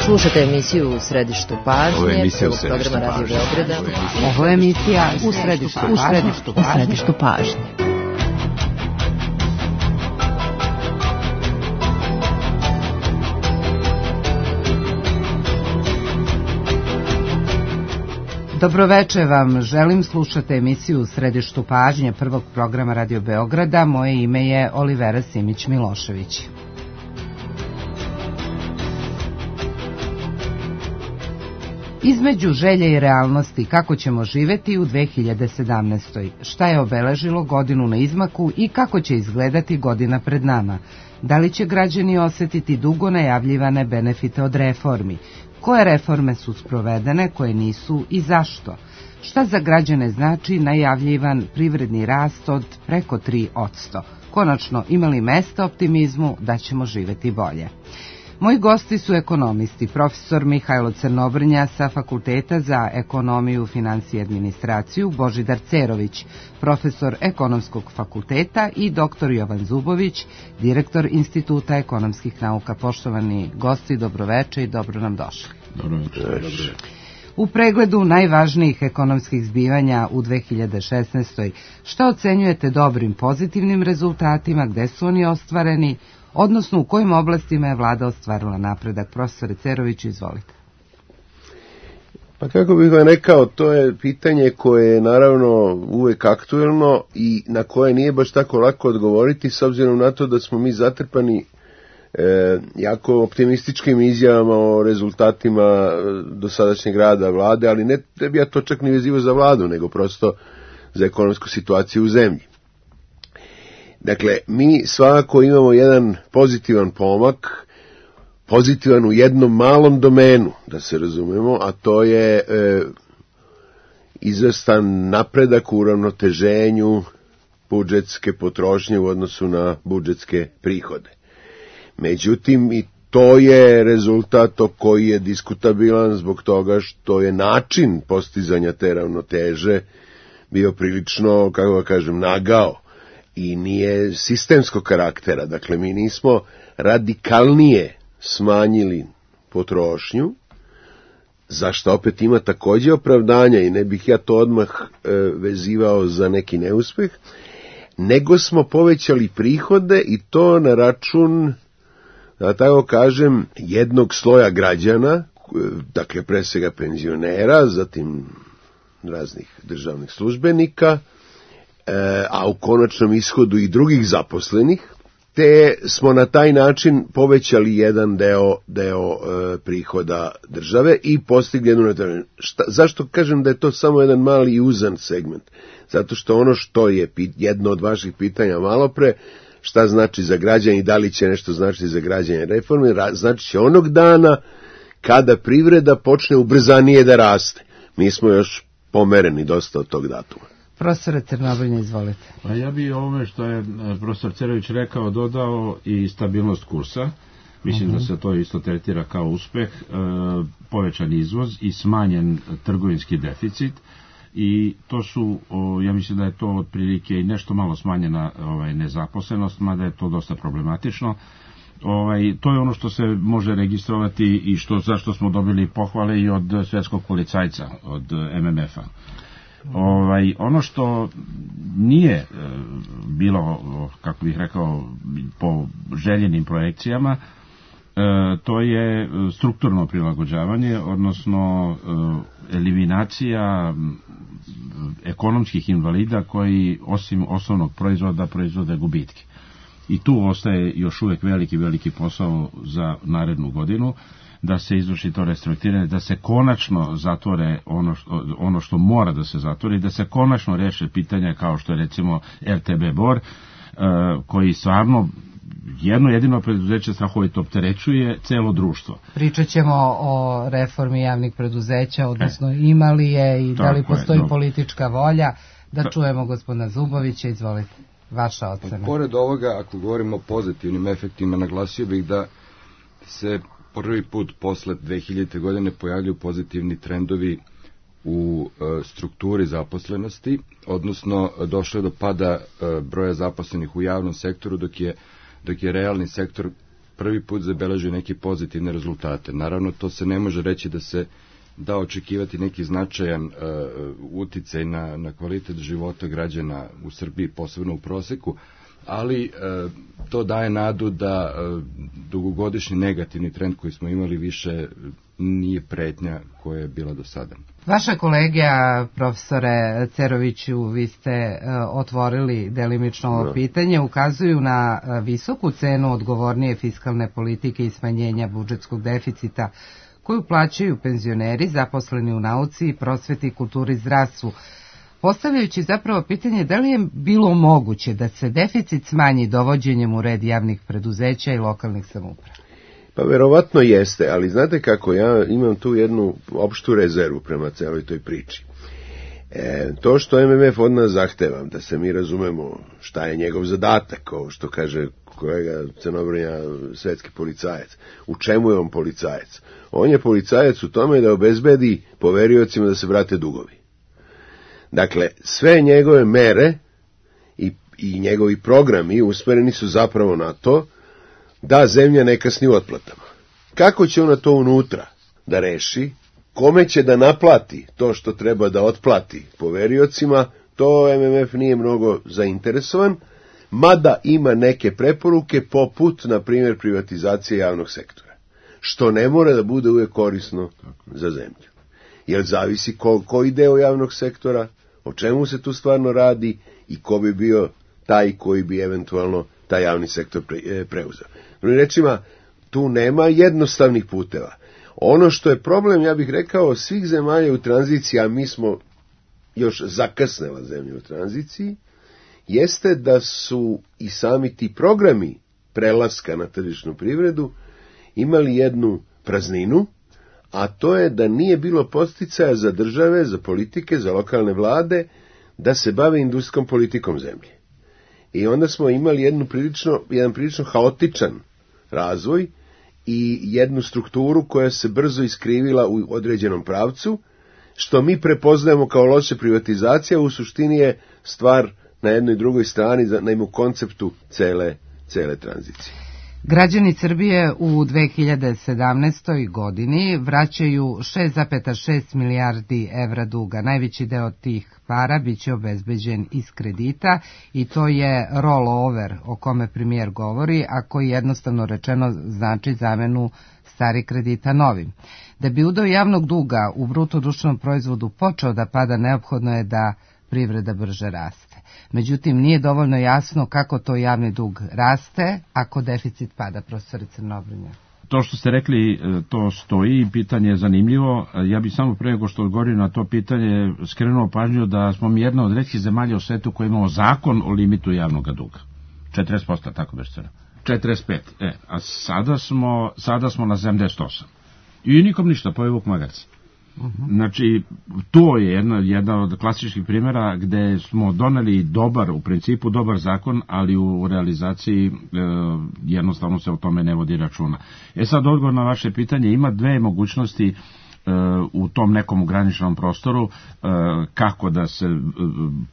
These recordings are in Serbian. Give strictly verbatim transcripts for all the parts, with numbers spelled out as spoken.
Slušate emisiju U središtu pažnje, prvog programa Radio Beograda. Ovo je emisija U središtu pažnje. U središtu pažnje. Dobroveče vam, želim, slušate emisiju U središtu pažnje prvog programa Radio Beograda. Moje ime je Olivera Simić-Milošević. Između želje i realnosti, kako ćemo živeti u dve hiljade sedamnaestoj. Šta je obeležilo godinu na izmaku i kako će izgledati godina pred nama? Da li će građani osetiti dugo najavljivane benefite od reformi? Koje reforme su sprovedene, koje nisu i zašto? Šta za građane znači najavljivan privredni rast od preko tri posto? Konačno, ima li mesta optimizmu da ćemo živeti bolje? Moji gosti su ekonomisti, profesor Mihajlo Crnobrnja sa Fakulteta za ekonomiju, finansije i administraciju, Božidar Cerović, profesor Ekonomskog fakulteta i doktor Jovan Zubović, direktor Instituta ekonomskih nauka. Poštovani gosti, dobroveče i dobro nam došli. Dobroveče. U pregledu najvažnijih ekonomskih zbivanja u dve hiljade šesnaestoj. Šta ocenjujete dobrim, pozitivnim rezultatima, gde su oni ostvareni, odnosno u kojim oblastima je vlada ostvarila napredak? Profesore Cerović, izvolite. Pa kako bih vam rekao, to je pitanje koje je naravno uvek aktuelno i na koje nije baš tako lako odgovoriti, s obzirom na to da smo mi zatrpani e, jako optimističkim izjavama o rezultatima dosadašnjeg rada vlade, ali ne treba ja to čak ni vezivo za vladu, nego prosto za ekonomsku situaciju u zemlji. Dakle, mi svakako imamo jedan pozitivan pomak, pozitivan u jednom malom domenu, da se razumemo, a to je e, izvestan napredak u uravnoteženju budžetske potrošnje u odnosu na budžetske prihode. Međutim, i to je rezultat koji je diskutabilan zbog toga što je način postizanja te ravnoteže bio prilično, kako ga kažem, nagao. I nije sistemskog karaktera. Dakle, mi nismo radikalnije smanjili potrošnju, za što opet ima takođe opravdanja i ne bih ja to odmah e, vezivao za neki neuspeh, nego smo povećali prihode i to na račun, da tako kažem, jednog sloja građana, dakle pre svega penzionera, zatim raznih državnih službenika, a u konačnom ishodu i drugih zaposlenih, te smo na taj način povećali jedan deo, deo e, prihoda države i postigli jednu šta, zašto kažem da je to samo jedan mali i uzan segment? Zato što ono što je pit, jedno od vaših pitanja malo pre, šta znači za građane i da li će nešto značiti za građane reforme, znači će onog dana kada privreda počne ubrzanije da raste. Mi smo još pomereni dosta od tog datuma. Profesor Crnobrnja, izvolite. Pa ja bih ovome što je profesor Cerović rekao dodao i stabilnost kursa. Mislim uh-huh. da se to isto tretira kao uspeh, e, povećan izvoz i smanjen trgovinski deficit. I to su, o, ja mislim da je to otprilike i nešto malo smanjena ovaj, nezaposlenost, mada je to dosta problematično. Ovaj, to je ono što se može registrovati i što, zašto smo dobili pohvale i od svetskog policajca, od em em ef-a. Ovaj, ono što nije e, bilo, kako bih rekao, po željenim projekcijama, e, to je strukturno prilagođavanje, odnosno e, eliminacija ekonomskih invalida koji osim osnovnog proizvoda proizvode gubitke. I tu ostaje još uvek veliki, veliki posao za narednu godinu, da se izvrši to restrukturiranje, da se konačno zatvore ono što, ono što mora da se zatvori, da se konačno reše pitanja kao što je recimo er te be Bor, koji stvarno jedno jedino preduzeće strahovito opterećuje celo društvo. Pričat ćemo o reformi javnih preduzeća, odnosno ima li je i da li postoji je, politička volja. Da ta... čujemo gospodina Zubovića, izvolite, vaša ocena. Pored ovoga, ako govorimo o pozitivnim efektima, naglasio bih da se prvi put posle dve hiljadite godine pojavljuju pozitivni trendovi u e, strukturi zaposlenosti, odnosno došlo je do pada e, broja zaposlenih u javnom sektoru, dok je, dok je realni sektor prvi put zabeležuje neke pozitivne rezultate. Naravno, to se ne može reći da se da očekivati neki značajan uh, uticaj na, na kvalitet života građana u Srbiji, posebno u proseku, ali uh, to daje nadu da uh, dugogodišnji negativni trend koji smo imali više nije pretnja koja je bila do sada. Vaša kolegija, profesore Ceroviću, vi ste uh, otvorili delimično ovo pitanje, ukazuju na uh, visoku cenu odgovornije fiskalne politike i smanjenja budžetskog deficita koju plaćaju penzioneri, zaposleni u nauci, prosveti, kulturi i zdravstvu. Postavljajući zapravo pitanje da li je bilo moguće da se deficit smanji dovođenjem u red javnih preduzeća i lokalnih samouprava? Pa verovatno jeste, ali znate kako, ja imam tu jednu opštu rezervu prema celoj toj priči. E, to što M M F od nas zahteva, da se mi razumemo šta je njegov zadatak, kao što kaže kolega Crnobrnja, svetski policajac. U čemu je on policajac? On je policajac u tome da obezbedi poveriocima da se vrate dugovi. Dakle, sve njegove mere i, i njegovi programi usmereni su zapravo na to da zemlja ne kasni u otplatama. Kako će ona to unutra da reši? Kome će da naplati to što treba da otplati poveriocima? To M M F nije mnogo zainteresovan, mada ima neke preporuke poput, na primjer, privatizacije javnog sektora, što ne mora da bude uvijek korisno za zemlju. Jer zavisi ko, koji deo javnog sektora, o čemu se tu stvarno radi i ko bi bio taj koji bi eventualno taj javni sektor pre, preuzeo. Drugim rečima, tu nema jednostavnih puteva. Ono što je problem, ja bih rekao, svih zemalja u tranziciji, a mi smo još zakasnela zemlja u tranziciji, jeste da su i sami ti programi prelaska na tržišnu privredu imali jednu prazninu, a to je da nije bilo podsticaja za države, za politike, za lokalne vlade, da se bave industrijskom politikom zemlje. I onda smo imali jednu prilično, jedan prilično haotičan razvoj i jednu strukturu koja se brzo iskrivila u određenom pravcu, što mi prepoznajemo kao loše privatizacija, u suštini je stvar na jednoj i drugoj strani, na jednom konceptu cele, cele tranzicije. Građani Srbije u dve hiljade sedamnaestoj godini vraćaju šest zarez šest milijardi evra duga. Najveći deo tih para biće obezbeđen iz kredita i to je rollover o kome premijer govori, a koji jednostavno rečeno znači zamenu stari kredita novim. Da bi udeo javnog duga u bruto društvenom proizvodu počeo da pada, neophodno je da privreda brže raste. Međutim, nije dovoljno jasno kako to javni dug raste ako deficit pada, profesor Crnobrnja. To što ste rekli, to stoji, pitanje je zanimljivo. Ja bih samo pre nego što odgovorim na to pitanje skrenuo pažnju da smo mi jedna od retkih zemalja u svetu koji imamo zakon o limitu javnog duga. četrdeset posto, tako beše cena. četrdeset pet. E, a sada smo, sada smo na sedamdeset osam. I nikom ništa, pojeo vuk magarac. Uh-huh. Znači, to je jedna, jedna od klasičnih primjera gde smo doneli dobar, u principu dobar zakon, ali u realizaciji e, jednostavno se o tome ne vodi računa. E sad, odgovor na vaše pitanje, ima dve mogućnosti e, u tom nekom graničnom prostoru e, kako da se e,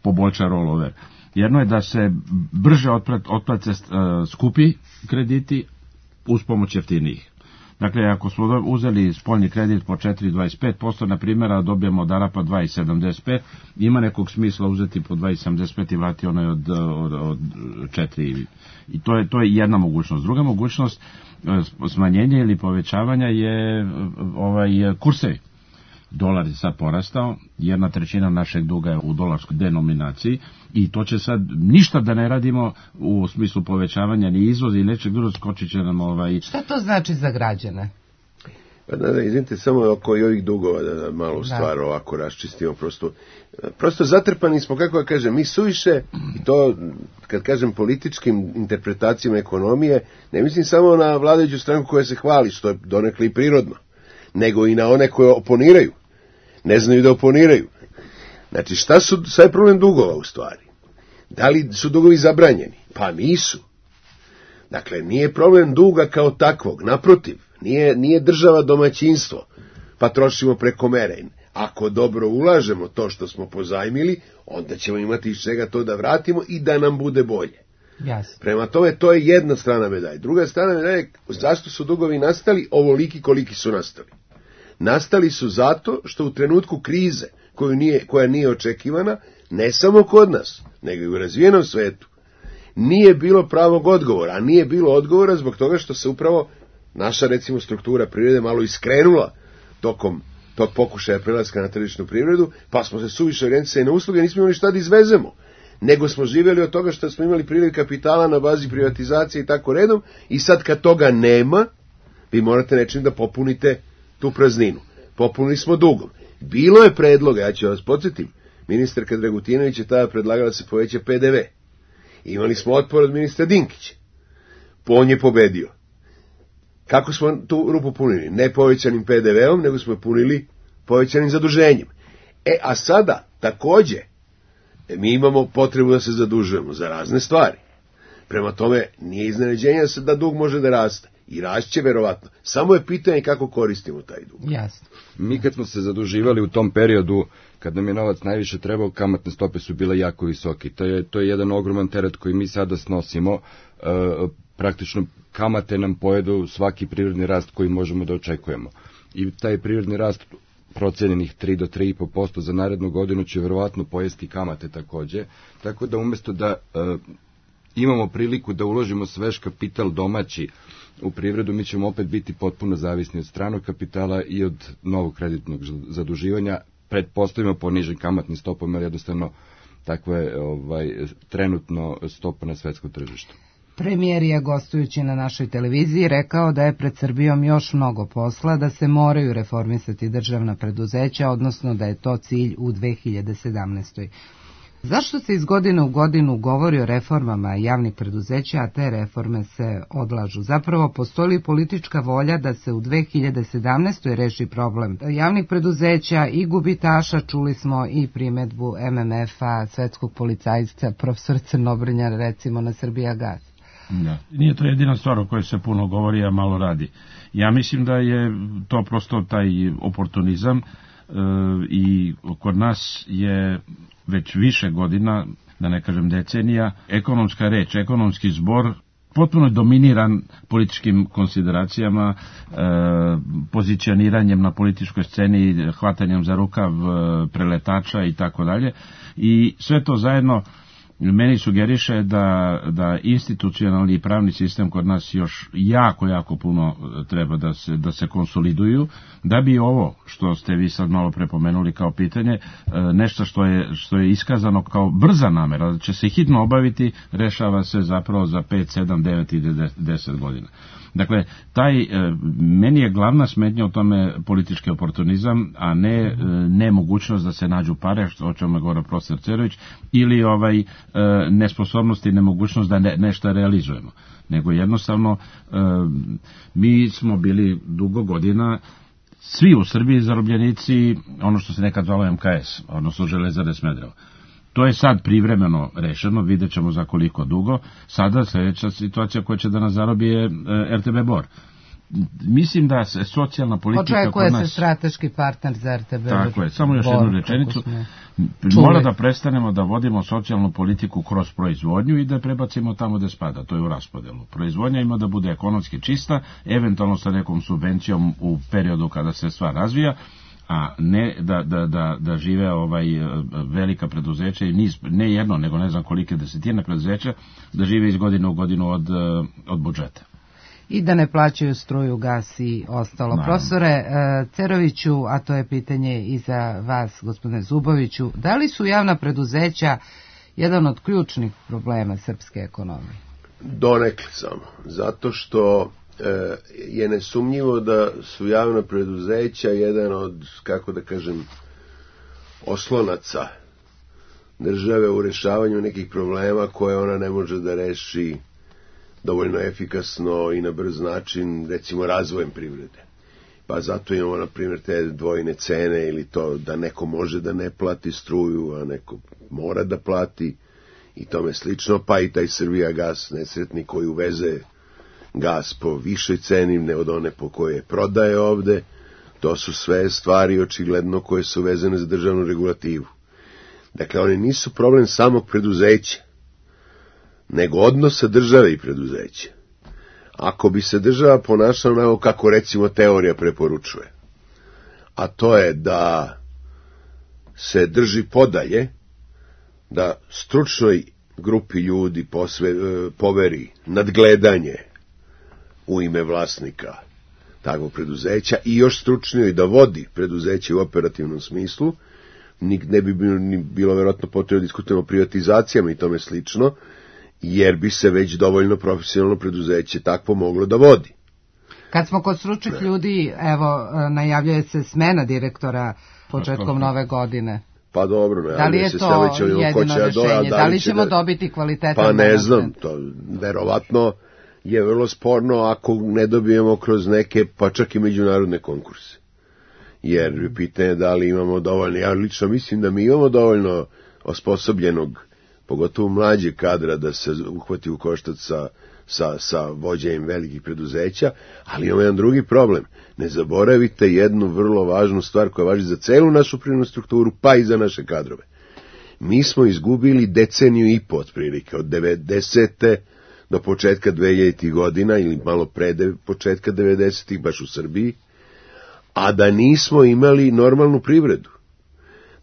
poboljša rollover. Jedno je da se brže otplate e, skupi krediti uz pomoć jeftinijih. Dakle, ako smo uzeli spoljni kredit po četiri zarez dvadeset pet posto, na primjer, a dobijemo od Arapa dva zarez sedamdeset pet, ima nekog smisla uzeti po dva zarez sedamdeset pet i vrati onaj od, od, od četiri. I to je, to je jedna mogućnost. Druga mogućnost smanjenja ili povećavanja je ovaj kursevi. Dolar je sad porastao, jedna trećina našeg duga je u dolarskoj denominaciji i to će sad ništa da ne radimo u smislu povećavanja ni izvoza i nečeg drugog, skočit će nam ovaj... Šta to znači za građane? Pa da, da, izvinite, samo oko ovih dugova da, da malo da. stvar ovako raščistimo, prosto, prosto zatrpani smo, kako ja kažem, mi suviše, i to kad kažem političkim interpretacijama ekonomije, ne mislim samo na vladajuću stranku koja se hvali, što je donekle i prirodno, nego i na one koje oponiraju. Ne znaju da oponiraju. Znači, šta su, šta je problem dugova u stvari? Da li su dugovi zabranjeni? Pa nisu. Dakle, nije problem duga kao takvog, naprotiv, nije, nije država domaćinstvo, pa trošimo preko mere. Ako dobro ulažemo to što smo pozajmili, onda ćemo imati iz čega to da vratimo i da nam bude bolje. Jasno. Prema tome, to je jedna strana medalje. Druga strana medalje, zašto su dugovi nastali ovoliki koliki su nastali? Nastali su zato što u trenutku krize, koju nije, koja nije očekivana, ne samo kod nas, nego i u razvijenom svetu, nije bilo pravog odgovora, a nije bilo odgovora zbog toga što se upravo naša, recimo, struktura privrede malo iskrenula tokom tog pokušaja prelaska na tržišnu privredu, pa smo se suviše orijentisali na usluge, nismo imali šta da izvezemo, nego smo živjeli od toga što smo imali priliv kapitala na bazi privatizacije i tako redom, i sad kad toga nema, vi morate nečim da popunite tu prazninu. Popunili smo dugom. Bilo je predloga, ja ću vas podsjetim, ministarka Dragutinović je tada predlagala da se poveća P D V. Imali smo otpor od ministra Dinkića. On je pobedio. Kako smo tu rupu punili? Ne povećanim P D V-om, nego smo punili povećanim zaduženjem. E, a sada, takođe, mi imamo potrebu da se zadužujemo za razne stvari. Prema tome, nije iznenađenje da se da dug može da raste. I rašće verovatno. Samo je pitanje kako koristimo taj dug. Jasno. Mi kad smo se zaduživali u tom periodu, kad nam je novac najviše trebao, kamatne stope su bile jako visoke. To je, to je jedan ogroman teret koji mi sada snosimo. E, praktično kamate nam pojedu svaki privredni rast koji možemo da očekujemo. I taj privredni rast procenjenih tri do tri i po posto za narednu godinu će verovatno pojesti kamate takođe. Tako da umjesto da e, imamo priliku da uložimo svež kapital domaći u privredu, mi ćemo opet biti potpuno zavisni od stranog kapitala i od novog kreditnog zaduživanja, pretpostavimo po nižim kamatnim stopama, jer jednostavno takva je ovaj, trenutno stopa na svetskom tržištu. Premijer je, gostujući na našoj televiziji, rekao da je pred Srbijom još mnogo posla, da se moraju reformisati državna preduzeća, odnosno da je to cilj u dve hiljade sedamnaestoj. Zašto se iz godine u godinu govori o reformama javnih preduzeća, a te reforme se odlažu? Zapravo, postoji li politička volja da se u dve hiljade sedamnaestoj reši problem javnih preduzeća i gubitaša? Čuli smo i primedbu M M F-a, svetskog policajca, profesor Crnobrnja, recimo na Srbijagas. Da. Nije to jedina stvar o kojoj se puno govori, a malo radi. Ja mislim da je to prosto taj oportunizam, e, i kod nas je već više godina, da ne kažem decenija, ekonomska reč, ekonomski zbor potpuno dominiran političkim konsideracijama, e, pozicioniranjem na političkoj sceni, hvatanjem za rukav e, preletača i tako dalje. I sve to zajedno meni sugeriše da, da institucionalni i pravni sistem kod nas još jako, jako puno treba da se, da se konsoliduju, da bi ovo što ste vi sad malo prepomenuli kao pitanje, nešto što je, što je iskazano kao brza namera, da će se hitno obaviti, rešava se zapravo za pet, sedam, devet i deset godina. Dakle, taj, meni je glavna smetnja u tome politički oportunizam, a ne nemogućnost da se nađu pare, o čemu je govorio profesor Cerović, ili ovaj nesposobnost i nemogućnost da ne, nešto realizujemo. Nego jednostavno, mi smo bili dugo godina svi u Srbiji zarobljenici, ono što se nekad zvalo M K S, odnosno Železare Smederevo. To je sad privremeno rešeno, vidjet ćemo za koliko dugo. Sada sljedeća situacija koja će da nas zarobi je R T B Bor. Mislim da se socijalna politika... Očekuje se strateški partner za R T B Bor. Tako je, samo još jednu rečenicu. Mora da prestanemo da vodimo socijalnu politiku kroz proizvodnju i da prebacimo tamo gde spada, to je u raspodelu. Proizvodnja ima da bude ekonomski čista, eventualno sa nekom subvencijom u periodu kada se stvar razvija, a ne da, da, da, da žive ovaj velika preduzeća i niz, ne jedno, nego ne znam kolike desetine preduzeća, da žive iz godine u godinu od, od budžeta. I da ne plaćaju struju, gas i ostalo. Naravno. Profesore Ceroviću, a to je pitanje i za vas, gospodine Zuboviću, da li su javna preduzeća jedan od ključnih problema srpske ekonomije? Donekle samo, zato što je nesumnjivo da su javna preduzeća jedan od, kako da kažem, oslonaca države u rešavanju nekih problema koje ona ne može da reši dovoljno efikasno i na brz način, recimo razvojem privrede. Pa zato imamo, na primjer, te dvojne cene ili to da neko može da ne plati struju, a neko mora da plati i tome slično, pa i taj Srbijagas nesretni koji uveze gas po višoj ceni ne od one po koje prodaje ovde. To su sve stvari očigledno koje su vezane za državnu regulativu. Dakle, oni nisu problem samog preduzeća, nego odnosa države i preduzeća. Ako bi se država ponašala onako kako recimo teorija preporučuje, a to je da se drži podalje, da stručnoj grupi ljudi posve, poveri nadgledanje u ime vlasnika takvog preduzeća i još stručnijoj da vodi preduzeće u operativnom smislu, ne bi bilo, bilo verovatno potrebno da diskutujemo o privatizacijama i tome slično, jer bi se već dovoljno profesionalno preduzeće takvo moglo da vodi. Kad smo kod stručnih ljudi, evo, najavljuje se smena direktora početkom nove godine. Pa dobro, da li je se to jedino rešenje? Da li ćemo da... dobiti kvalitetan? Pa ne znam, to verovatno je vrlo sporno ako ne dobijemo kroz neke, pa čak i međunarodne konkurse. Jer pitanje da li imamo dovoljno, ja lično mislim da mi imamo dovoljno osposobljenog, pogotovo mlađe kadra da se uhvati u koštac sa, sa, sa vođenjem velikih preduzeća, ali imamo jedan drugi problem. Ne zaboravite jednu vrlo važnu stvar koja važi za celu našu privrednu strukturu, pa i za naše kadrove. Mi smo izgubili deceniju i po otprilike, od devedesete do početka dvehiljaditih godina, ili malo pre de, početka devedesetih, baš u Srbiji, a da nismo imali normalnu privredu.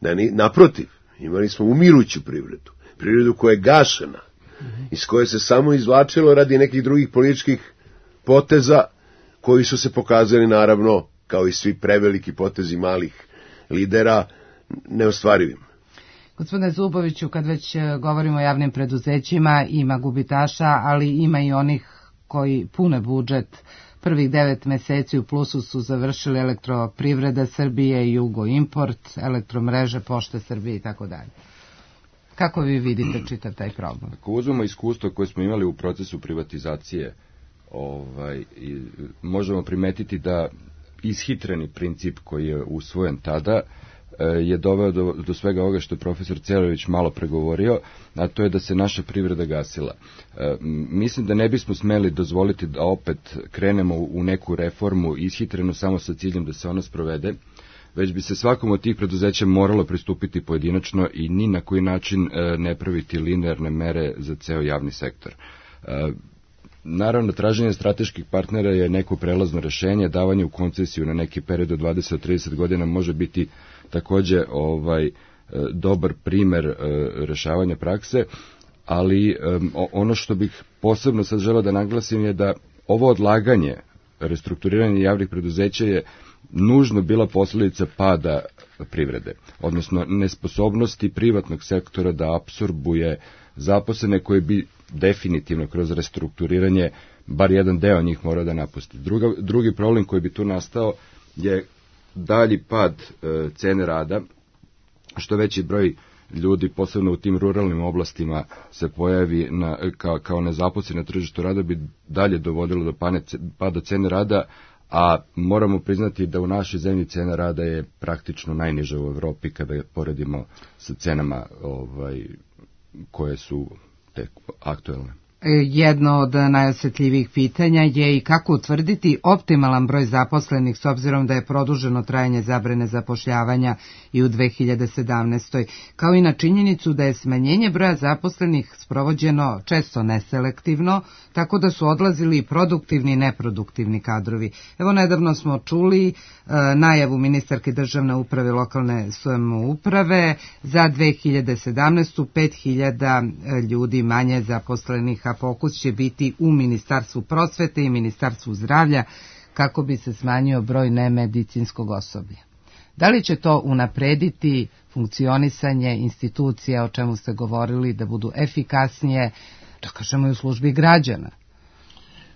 Da ni, naprotiv, imali smo umiruću privredu. Privredu koja je gašena, iz koje se samo izvlačilo radi nekih drugih političkih poteza, koji su se pokazali, naravno, kao i svi preveliki potezi malih lidera, neostvarivim. Gospodine Zuboviću, kad već govorimo o javnim preduzećima, ima gubitaša, ali ima i onih koji pune budžet. Prvih devet meseci u plusu su završili Elektroprivreda Srbije, Jugo Import, Elektromreže, Pošte Srbije i tako dalje. Kako vi vidite čitav taj problem? Ako uzmemo iskustvo koje smo imali u procesu privatizacije, ovaj, i možemo primetiti da ishitreni princip koji je usvojen tada je doveo do, do svega ovoga što je profesor Cerović malo pregovorio, a to je da se naša privreda gasila. E, mislim da ne bismo smeli dozvoliti da opet krenemo u neku reformu ishitrenu samo sa ciljem da se ona sprovede, već bi se svakom od tih preduzeća moralo pristupiti pojedinačno i ni na koji način e, ne praviti linearne mere za ceo javni sektor. E, Naravno, traženje strateških partnera je neko prelazno rešenje, davanje u koncesiju na neki period od dvadeset do trideset godina može biti takođe ovaj dobar primer rešavanja prakse, ali ono što bih posebno sad želeo da naglasim je da ovo odlaganje, restrukturiranje javnih preduzeća je nužno bila posljedica pada privrede, odnosno nesposobnosti privatnog sektora da apsorbuje zaposlene koje bi definitivno kroz restrukturiranje bar jedan deo njih mora da napusti. Druga, drugi problem koji bi tu nastao je dalji pad e, cene rada, što veći broj ljudi, posebno u tim ruralnim oblastima, se pojavi na, kao, kao nezaposleni na tržištu rada, bi dalje dovodilo do pane, pada cene rada, a moramo priznati da u našoj zemlji cena rada je praktično najniža u Evropi kada je poredimo sa cenama ovaj, koje su tek aktuelne. Jedno od najosjetljivijih pitanja je i kako utvrditi optimalan broj zaposlenih s obzirom da je produženo trajanje zabrane zapošljavanja i u dve hiljade sedamnaestoj. kao i na činjenicu da je smanjenje broja zaposlenih sprovođeno često neselektivno, tako da su odlazili i produktivni i neproduktivni kadrovi. Evo, nedavno smo čuli e, najavu ministarke državne uprave i lokalne samouprave za dve hiljade sedamnaestu. pet hiljada ljudi manje zaposlenih, a fokus će biti u Ministarstvu prosvete i Ministarstvu zdravlja kako bi se smanjio broj nemedicinskog osoblja. Da li će to unaprediti funkcionisanje institucija, o čemu ste govorili, da budu efikasnije, da kažemo i u službi građana?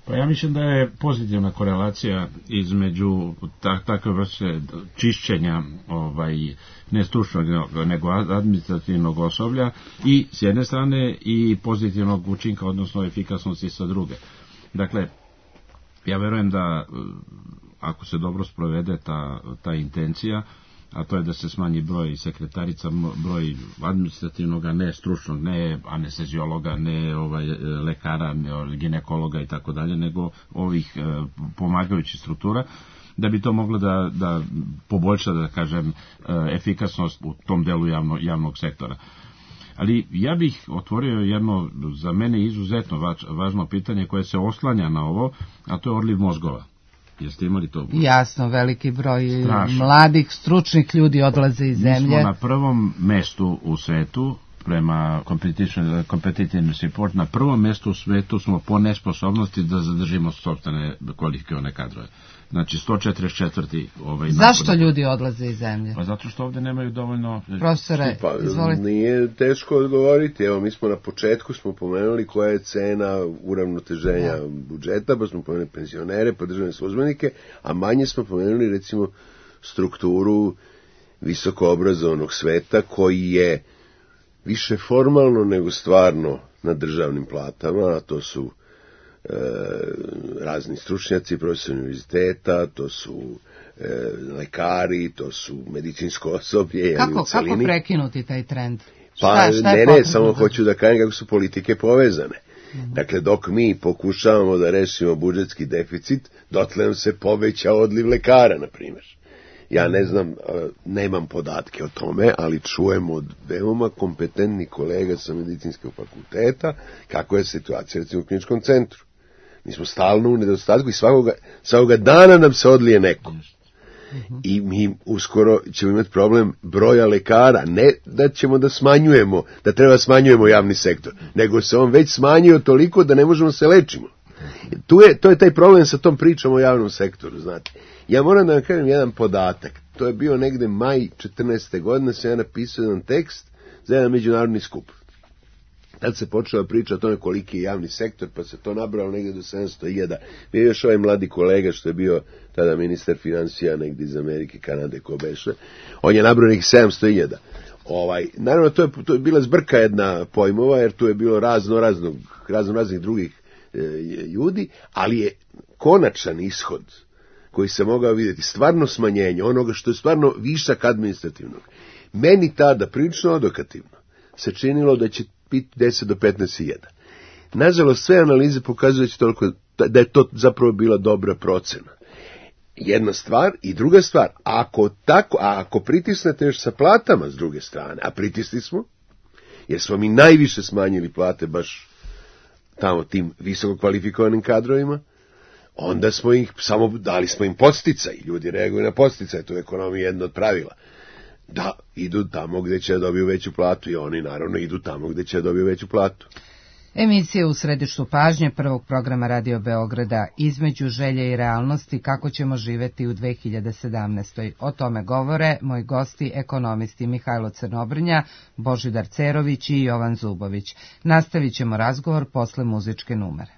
Pa ja mislim da je pozitivna korelacija između tak, takve vrste čišćenja ovaj, ne stručnog nego administrativnog osoblja i s jedne strane i pozitivnog učinka, odnosno efikasnosti sa druge. Dakle, ja verujem da ako se dobro sprovede ta, ta intencija, a to je da se smanji broj sekretarica, broj administrativnog, ne stručnog, ne anesteziologa, ne ovaj, lekara, ne ginekologa i tako dalje, nego ovih e, pomagajućih struktura, da bi to moglo da, da poboljša, da kažem, e, efikasnost u tom delu javno, javnog sektora. Ali ja bih otvorio jedno za mene izuzetno važno pitanje koje se oslanja na ovo, a to je odliv mozgova. Jeste imali to? Jasno, veliki broj Strašno. mladih, stručnih ljudi odlaze iz zemlje. Mi smo na prvom mestu u svetu, prema Competitive Report, na prvom mestu u svetu smo po nesposobnosti da zadržimo sopstvene kvalifikovane kadrove. Znači sto četrdeset četvrti ovaj Zašto napad. ljudi odlaze iz zemlje? Pa zato što ovdje nemaju dovoljno... Profesore, pa, izvolite. Nije teško odgovoriti. Evo, mi smo na početku smo pomenuli koja je cena uravnoteženja ja. budžeta, pa smo pomenuli penzionere, pa državne službenike, a manje smo pomenuli recimo strukturu visokoobrazovanog sveta koji je više formalno nego stvarno na državnim platama, a to su e, razni stručnjaci, profesori univerziteta, to su e, lekari, to su medicinsko osoblje. Kako, kako prekinuti taj trend? Pa šta, šta ne, ne, samo hoću da kažem kako su politike povezane. Mm-hmm. Dakle, dok mi pokušavamo da rešimo budžetski deficit, dotle nam se poveća odliv lekara, na primjer. Ja ne znam, nemam podatke o tome, ali čujem od veoma kompetentnih kolega sa medicinskog fakulteta kako je situacija recimo u kliničkom centru. Mi smo stalno u nedostatku i svakoga, svakoga dana nam se odlije neko. Uh-huh. I mi uskoro ćemo imati problem broja lekara, ne da ćemo da smanjujemo, da treba smanjujemo javni sektor, nego se on već smanjio toliko da ne možemo se lečimo. Tu je, to je taj problem sa tom pričom o javnom sektoru, znate. Ja moram da vam kažem jedan podatak. To je bio negde maj četrnaeste godine, sam ja napisao jedan tekst za jedan međunarodni skup. Tad se počela priča o tome koliki je javni sektor, pa se to nabralo negde do sedamsto hiljada. Bio je još ovaj mladi kolega što je bio tada ministar financija negde iz Amerike, Kanade, ko beše. On je nabrao nekih sedamsto hiljada. Ovaj, naravno, to je, to je bila zbrka jedna pojmova, jer tu je bilo razno, razno, razno raznih drugih e, ljudi, ali je konačan ishod koji se mogao vidjeti, stvarno smanjenje onoga što je stvarno višak administrativnog. Meni tada prilično odokativno se činilo da će biti deset do petnaest hiljada. Nažalost, sve analize pokazuju toliko, da je to zapravo bila dobra procena. Jedna stvar i druga stvar, ako, tako, a ako pritisnete još sa platama s druge strane, a pritisli smo, jer smo mi najviše smanjili plate baš tamo tim visoko kvalifikovanim kadrovima, onda smo ih, samo dali smo im podsticaj, ljudi reaguju na podsticaj, to je ekonomija jedno od pravila, da idu tamo gde će da dobiju veću platu i oni naravno idu tamo gde će da dobiju veću platu. Emisija u središtu pažnje prvog programa Radio Beograda Između želje i realnosti kako ćemo živeti u dve hiljade sedamnaestoj. O tome govore moji gosti, ekonomisti Mihajlo Crnobrnja, Božidar Cerović i Jovan Zubović. Nastavit ćemo razgovor posle muzičke numere.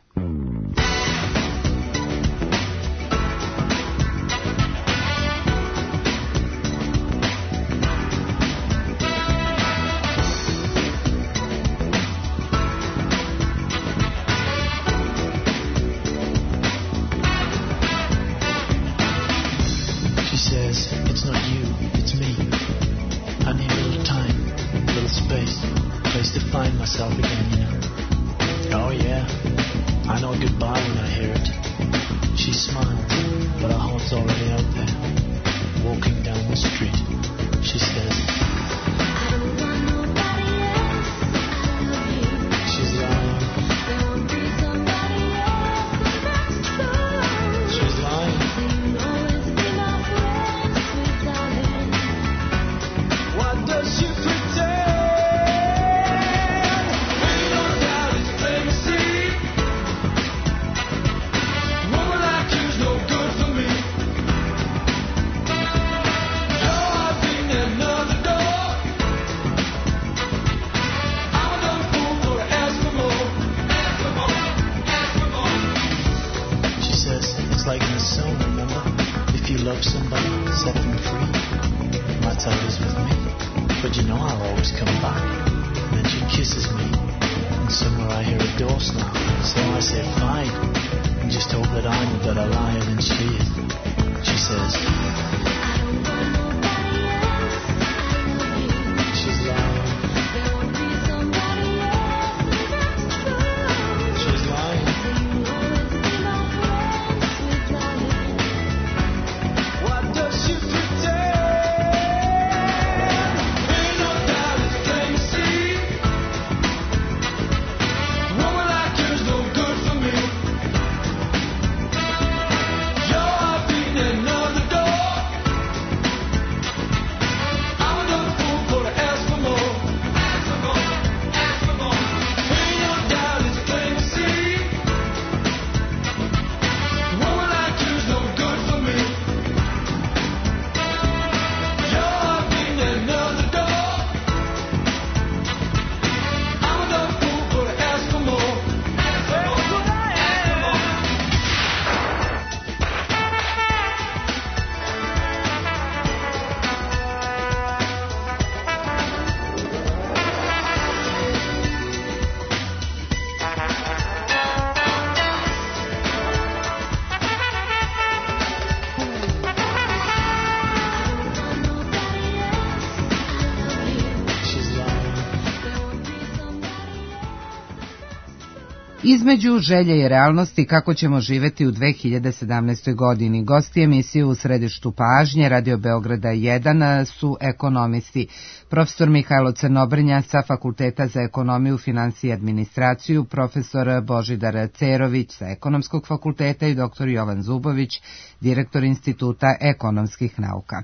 Između želje i realnosti kako ćemo živeti u dve hiljade sedamnaestoj godini. Gosti emisije u središtu pažnje Radio Beograda jedan su ekonomisti. Profesor Mihajlo Crnobrnja sa Fakulteta za ekonomiju, finansije i administraciju, profesor Božidar Cerović sa Ekonomskog fakulteta i doktor Jovan Zubović, direktor Instituta ekonomskih nauka.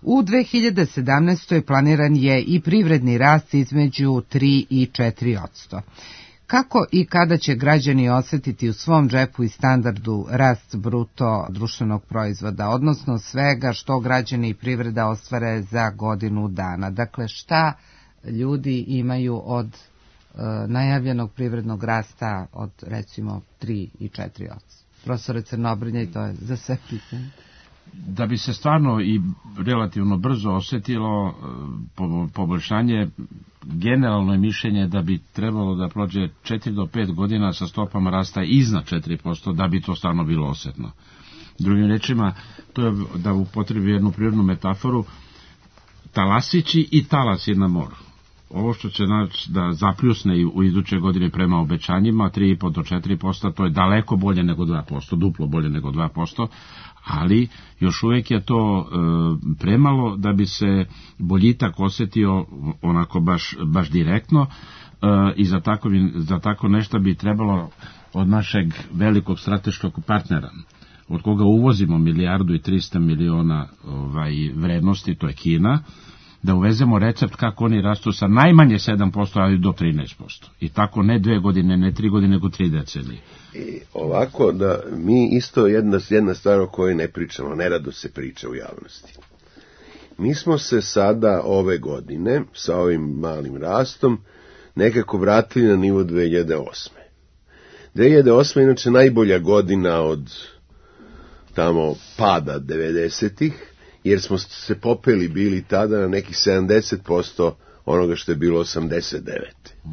U dve hiljade sedamnaestoj planiran je i privredni rast između tri i četiri posto. Kako i kada će građani osjetiti u svom džepu i standardu rast bruto društvenog proizvoda, odnosno svega što građani i privreda ostvare za godinu dana? Dakle, šta ljudi imaju od e, najavljenog privrednog rasta od recimo tri i četiri posto? Profesore Crnobrnja, i to je za sve pitanje. Da bi se stvarno i relativno brzo osjetilo poboljšanje, generalno je mišljenje da bi trebalo da prođe četiri do pet godina sa stopama rasta iznad četiri posto da bi to stvarno bilo osjetno. Drugim rečima, to je da upotrebi jednu prirodnu metaforu, talasići i talasi na moru. Ovo što će znači da zapljusne u iduće godine prema obećanjima, tri i po do četiri posto, to je daleko bolje nego dva posto, duplo bolje nego dva posto, ali još uvijek je to e, premalo da bi se boljitak osjetio onako baš, baš direktno e, i za tako, za tako nešto bi trebalo od našeg velikog strateškog partnera, od koga uvozimo milijardu i trista miliona ovaj, vrednosti, to je Kina, da uvezemo recept kako oni rastu sa najmanje sedam posto, ali do trinaest posto. I tako ne dve godine, ne tri godine, nego tri decenije. I ovako, da mi isto jedna, jedna stvar o kojoj ne pričamo, nerado se priča u javnosti. Mi smo se sada ove godine, sa ovim malim rastom, nekako vratili na nivo dve hiljade osme. dve hiljade osma inače najbolja godina od tamo pada devedesetih, jer smo se popeli bili tada na nekih sedamdeset posto onoga što je bilo osamdeset devete. Mm.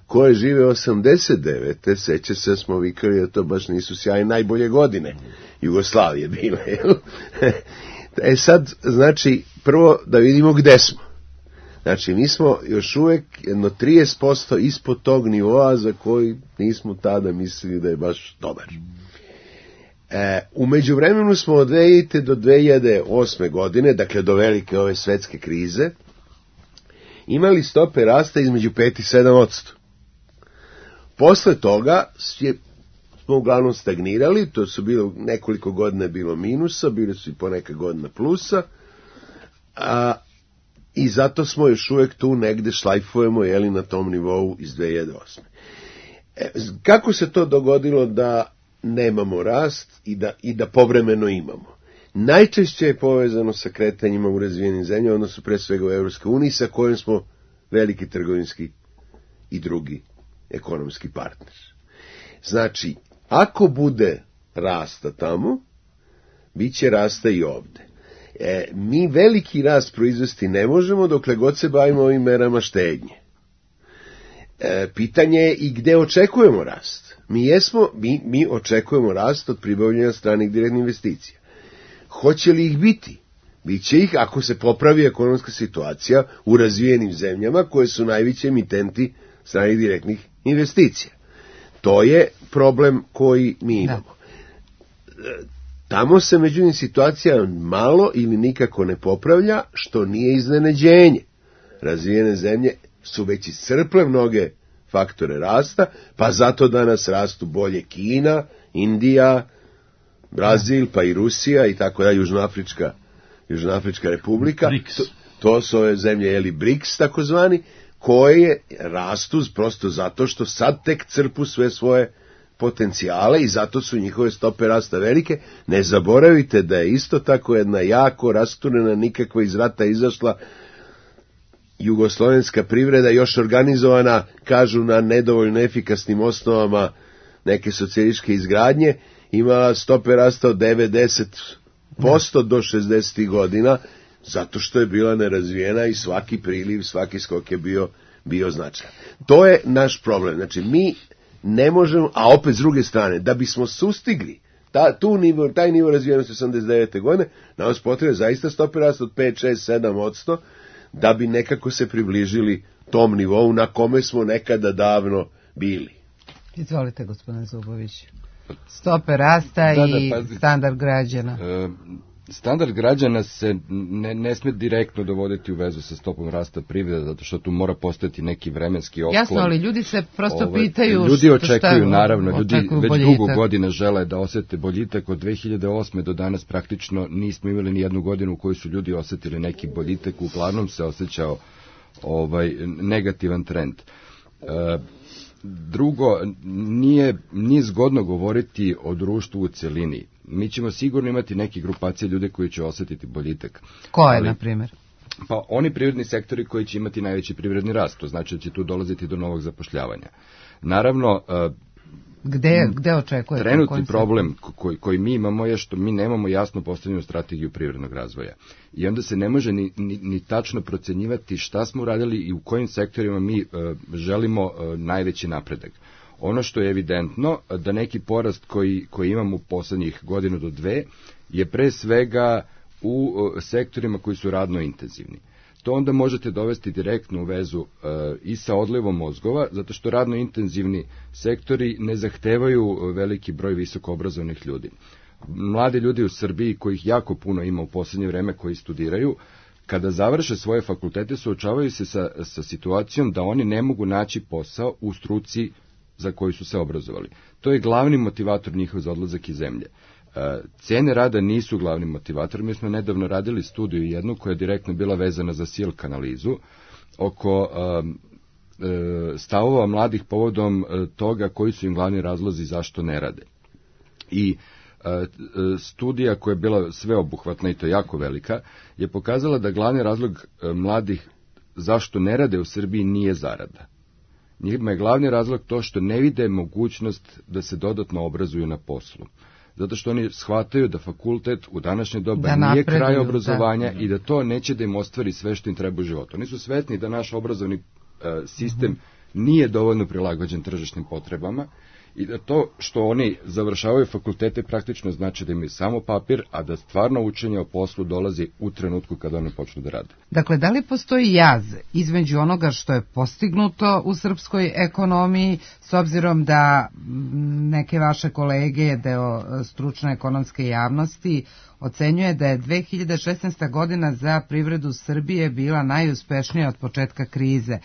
Ko je žive osamdeset devete seća se da smo vikali da to baš nisu sjajne najbolje godine. Mm. Jugoslavije bile. E sad, znači, prvo da vidimo gde smo. Znači, mi smo još uvek jedno trideset posto ispod tog nivoa za koji nismo tada mislili da je baš dobar. Mm. E, u međuvremenu smo od dve hiljade do dve hiljade osme godine, dakle do velike ove svetske krize, imali stope rasta između pet i sedam posto. Posle toga je, smo uglavnom stagnirali, to su bilo nekoliko godina bilo minusa, bili su i poneka godina plusa, a, i zato smo još uvek tu negde šlajfujemo, jeli, na tom nivou iz dve hiljade osme. E, kako se to dogodilo da nemamo rast i da, i da povremeno imamo? Najčešće je povezano sa kretanjima u razvijenim zemljama, odnosno pre svega u Evropskoj uniji, sa kojim smo veliki trgovinski i drugi ekonomski partner. Znači, ako bude rasta tamo, bit će rasta i ovde. E, mi veliki rast proizvesti ne možemo dokle god se bavimo ovim merama štednje. E, pitanje je i gde očekujemo rast. Mi, jesmo, mi, mi očekujemo rast od pribavljanja stranih direktnih investicija. Hoće li ih biti? Biće ih ako se popravi ekonomska situacija u razvijenim zemljama koje su najveći emitenti stranih direktnih investicija. To je problem koji mi imamo. Da. Tamo se međutim situacija malo ili nikako ne popravlja, što nije iznenađenje. Razvijene zemlje su već iscrple mnoge faktore rasta, pa zato danas rastu bolje Kina, Indija, Brazil, pa i Rusija i tako da, Južnoafrička, Južnoafrička republika. To, to su ove zemlje, jeli, BRICS takozvani, koje rastu prosto zato što sad tek crpu sve svoje potencijale i zato su njihove stope rasta velike. Ne zaboravite da je isto tako jedna jako rasturena, nikakva iz rata izašla jugoslovenska privreda, još organizovana, kažu, na nedovoljno efikasnim osnovama neke socijalističke izgradnje, imala stope rasta od devedeset posto do šezdesetih godina, zato što je bila nerazvijena i svaki priliv, svaki skok je bio, bio značajan. To je naš problem. Znači, mi ne možemo, a opet s druge strane, da bismo sustigli ta, tu nivo, taj nivo razvijenosti osamdeset devete godine, nam se potrebe zaista stope rasta od pet, šest, sedam posto, da bi nekako se približili tom nivou na kome smo nekada davno bili. Izvolite, gospodine Zubović. Stope rasta da, da, i pazi, standard građana. E, standard građana se ne, ne sme direktno dovoditi u vezu sa stopom rasta privrede, zato što tu mora postojati neki vremenski otklon. Jasno, ali ljudi se prosto ovaj, pitaju... Ljudi očekuju, šta, naravno, ljudi već boljitak. Dugo godina žele da osete boljitak. Od dve hiljade osme do danas praktično nismo imali ni jednu godinu u kojoj su ljudi osetili neki boljitak, uglavnom se osjećao ovaj, negativan trend. E, Drugo, nije, nije zgodno govoriti o društvu u celini. Mi ćemo sigurno imati neke grupacije ljude koji će osjetiti boljitak. Koje, na primjer? Pa oni privredni sektori koji će imati najveći privredni rast, to znači da će tu dolaziti do novog zapošljavanja. Naravno, Gde, gde očekujete? Trenutni problem koji, koji mi imamo je što mi nemamo jasno postavljenu strategiju privrednog razvoja. I onda se ne može ni, ni, ni tačno procenjivati šta smo uradili i u kojim sektorima mi uh, želimo uh, najveći napredak. Ono što je evidentno, da neki porast koji, koji imamo u poslednjih godinu do dve je pre svega u uh, sektorima koji su radno intenzivni. To onda možete dovesti direktno u vezu uh, i sa odlivom mozgova, zato što radno intenzivni sektori ne zahtevaju veliki broj visoko obrazovnih ljudi. Mladi ljudi u Srbiji, kojih jako puno ima u posljednje vreme koji studiraju, kada završe svoje fakultete, suočavaju se sa, sa situacijom da oni ne mogu naći posao u struci za koju su se obrazovali. To je glavni motivator njihov za odlazak iz zemlje. Cene rada nisu glavni motivator. Mi smo nedavno radili studiju jednu koja je direktno bila vezana za silk analizu oko stavova mladih povodom toga koji su im glavni razlozi zašto ne rade. I studija koja je bila sveobuhvatna i to jako velika je pokazala da glavni razlog mladih zašto ne rade u Srbiji nije zarada. Njima je glavni razlog to što ne vide mogućnost da se dodatno obrazuju na poslu. Zato što oni shvataju da fakultet u današnje doba da nije napreduju, kraj obrazovanja da. I da to neće da im ostvari sve što im treba u životu. Oni su svesni da naš obrazovni uh, sistem uh-huh. nije dovoljno prilagođen tržišnim potrebama i da to što oni završavaju fakultete praktično znači da imaju samo papir, a da stvarno učenje o poslu dolazi u trenutku kada oni počnu da rade. Dakle, da li postoji jaz između onoga što je postignuto u srpskoj ekonomiji, s obzirom da neke vaše kolege, deo stručne ekonomske javnosti, ocenjuje da je dve hiljade šesnaesta. godina za privredu Srbije bila najuspešnija od početka krize.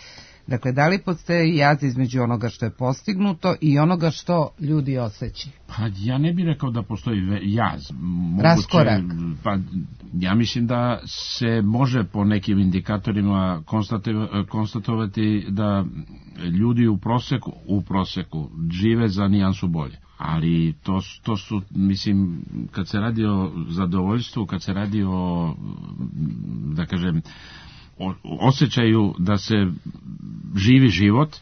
Dakle, da li postoji jaz između onoga što je postignuto i onoga što ljudi osjećaju? Pa ja ne bih rekao da postoji jaz. Moguće, raskorak. Pa ja mislim da se može po nekim indikatorima konstatovati da ljudi u proseku, u proseku žive za nijansu bolje. Ali to, to su, mislim, kad se radi o zadovoljstvu, kad se radi o, da kažem, osjećaju da se živi život,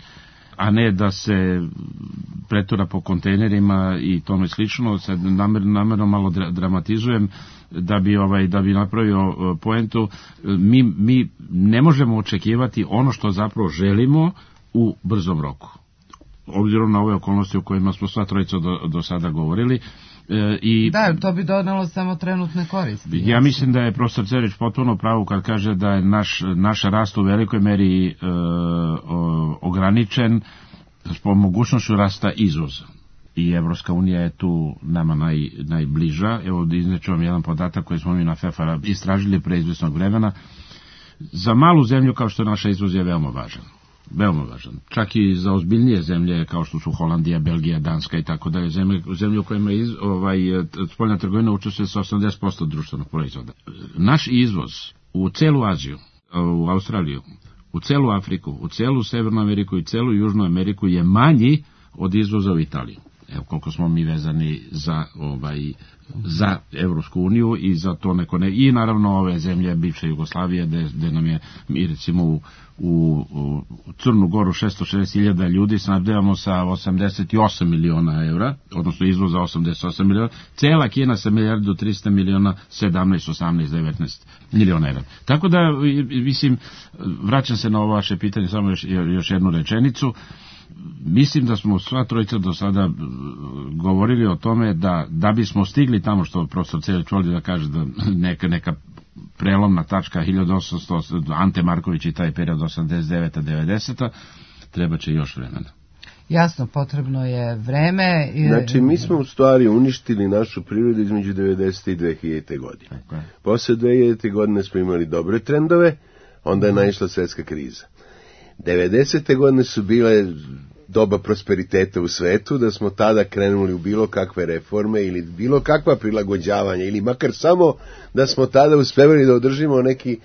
a ne da se pretura po kontejnerima i tome slično. Sad namerno, namerno malo dramatizujem da bi ovaj da bi napravio poentu. Mi, mi ne možemo očekivati ono što zapravo želimo u brzom roku. Obzirom na ove okolnosti o kojima smo sva trojica do, do sada govorili. E, i da, to bi donelo samo trenutne koristi. Ja jasno. Mislim da je profesor Cerić potpuno pravo kad kaže da je naš, naš rast u velikoj meri e, o, ograničen po mogućnošću rasta izvoza. I Evropska unija je tu nama naj, najbliža. Evo da izneću vam jedan podatak koji smo mi na FEFAR istražili pre izvesnog vremena. Za malu zemlju kao što je naša izvoz je veoma važan. Veoma važan. Čak i za ozbiljnije zemlje kao što su Holandija, Belgija, Danska i tako dalje, zemlje, zemlje u kojima iz, ovaj, spoljna trgovina učestvuje sa osamdeset posto društvenog proizvoda. Naš izvoz u celu Aziju, u Australiju, u celu Afriku, u celu Severnu Ameriku i celu Južnu Ameriku je manji od izvoza u Italiju. Evo koliko smo mi vezani za ovaj za Evropsku uniju i za to neko ne, i naravno ove zemlje bivše Jugoslavije gde, gde nam je mi recimo u, u, u Crnu Goru šesto šezdeset hiljada ljudi snabdevamo sa osamdeset osam miliona evra, odnosno izvoza osamdeset osam miliona, cela Kina sa milijardu trista miliona, sedamnaest, osamnaest, devetnaest miliona evra. Tako da, mislim, vraćam se na ovo vaše pitanje, samo još, još jednu rečenicu. Mislim da smo sva trojica do sada govorili o tome da da bismo stigli tamo što profesor Celić voli da kaže da neka, neka prelomna tačka hiljadu osamsto, Ante Marković i taj period osamdeset deveta devedeseta treba će još vremena. Jasno, potrebno je vreme. I... Znači, mi smo u stvari uništili našu prirodu između devedesete i dve hiljadite godine. Okay. Posle dve hiljadite godine smo imali dobre trendove, onda je naišla svetska kriza. devedesete godine su bile doba prosperiteta u svetu, da smo tada krenuli u bilo kakve reforme ili bilo kakva prilagođavanja, ili makar samo da smo tada uspevali da održimo neki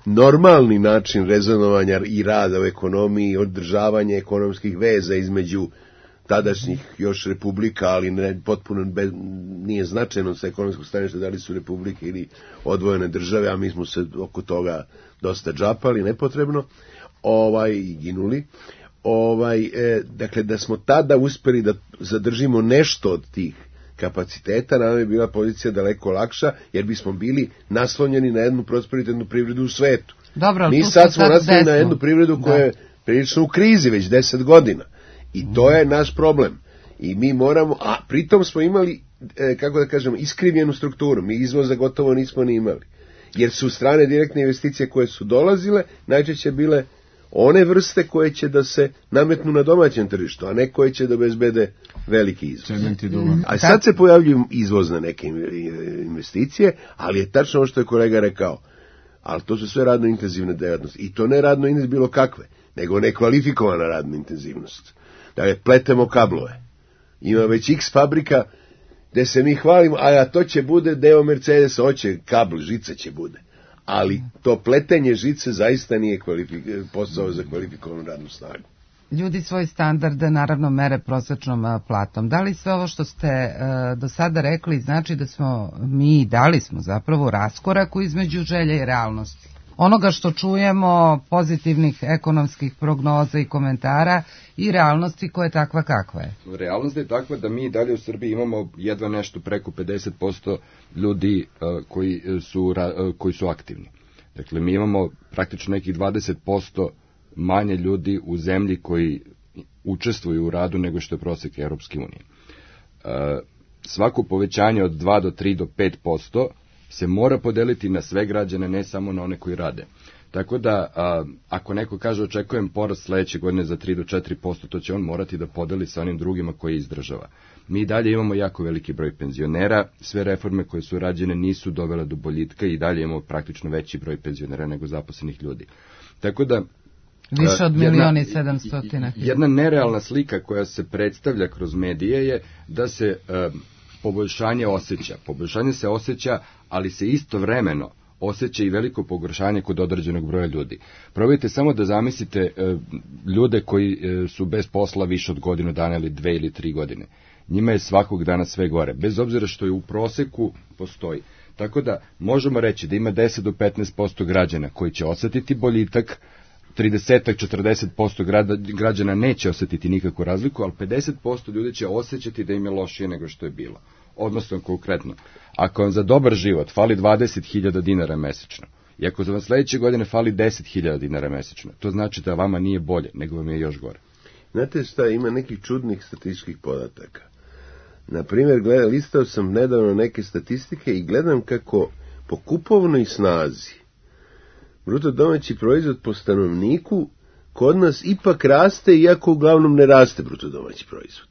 normalni način rezonovanja i rada u ekonomiji i održavanja ekonomskih veza između tadašnjih još republika, ali ne, potpuno bez, nije značajno sa ekonomskog staništa da li su republike ili odvojene države, a mi smo se oko toga dosta džapali, nepotrebno, ovaj, i ginuli. Ovaj, e, dakle, da smo tada uspeli da zadržimo nešto od tih kapaciteta, nam je bila pozicija daleko lakša, jer bismo bili naslonjeni na jednu prosperitetnu privredu u svetu. Dobro, mi sad smo naslonjeni na jednu privredu koja da. je prilično u krizi već deset godina. I to je naš problem. I mi moramo, a pritom smo imali, e, kako da kažem, iskrivljenu strukturu. Mi izvoza gotovo nismo ni imali. Jer su strane direktne investicije koje su dolazile, najčešće bile one vrste koje će da se nametnu na domaćem tržištu, a ne koje će da obezbede veliki izvoz. A sad se pojavljuju izvozne neke investicije, ali je tačno ono što je kolega rekao, ali to su sve radno intenzivne dejavnosti. I to ne radno intenzivne bilo kakve, nego nekvalifikovana radno intenzivnost. Dakle, pletemo kablove. Ima već x fabrika gde se mi hvalimo, a to će bude deo Mercedesa, hoće kabl, žica će bude. Ali to pletenje žice zaista nije kvalifik- posao za kvalifikovanu radnu snagu. Ljudi svoj standarde naravno mere prosječnom platom. Da li sve ovo što ste uh, do sada rekli znači da smo mi, da li smo zapravo raskoraku između želje i realnosti? Onoga što čujemo, pozitivnih ekonomskih prognoza i komentara, i realnosti koja je takva kakva je. Realnost je takva da mi dalje u Srbiji imamo jedva nešto preko pedeset posto ljudi uh, koji, su, uh, koji su aktivni. Dakle, mi imamo praktično nekih dvadeset posto manje ljudi u zemlji koji učestvuju u radu nego što je prosjek Europske unije. Uh, svako povećanje od dva do tri do pet posto se mora podeliti na sve građane, ne samo na one koji rade. Tako da, a, ako neko kaže očekujem porast sledeće godine za tri do četiri posto, to će on morati da podeli sa onim drugima koji izdržava. Mi dalje imamo jako veliki broj penzionera, sve reforme koje su rađene nisu dovele do boljitka i dalje imamo praktično veći broj penzionera nego zaposlenih ljudi. Tako da, više od miliona i sedamstotina. Jedna nerealna slika koja se predstavlja kroz medije je da se a, poboljšanje osjeća. Poboljšanje se osjeća, ali se istovremeno osjeća i veliko pogoršanje kod određenog broja ljudi. Probajte samo da zamislite e, ljude koji e, su bez posla više od godinu dana ili dve ili tri godine. Njima je svakog dana sve gore, bez obzira što je u proseku postoji. Tako da možemo reći da ima deset do petnaest posto građana koji će osjetiti boljitak, trideset do četrdeset posto građana neće osjetiti nikakvu razliku, ali pedeset posto ljudi će osjećati da im je lošije nego što je bilo. Odnosno, konkretno, ako vam za dobar život fali dvadeset hiljada dinara mesečno, i ako za vam sledeće godine fali deset hiljada dinara mesečno, to znači da vama nije bolje, nego vam je još gore. Znate šta, ima nekih čudnih statističkih podataka. Naprimjer, gledam, listao sam nedavno neke statistike i gledam kako po kupovnoj snazi bruto domaći proizvod po stanovniku kod nas ipak raste, iako uglavnom ne raste bruto domaći proizvod.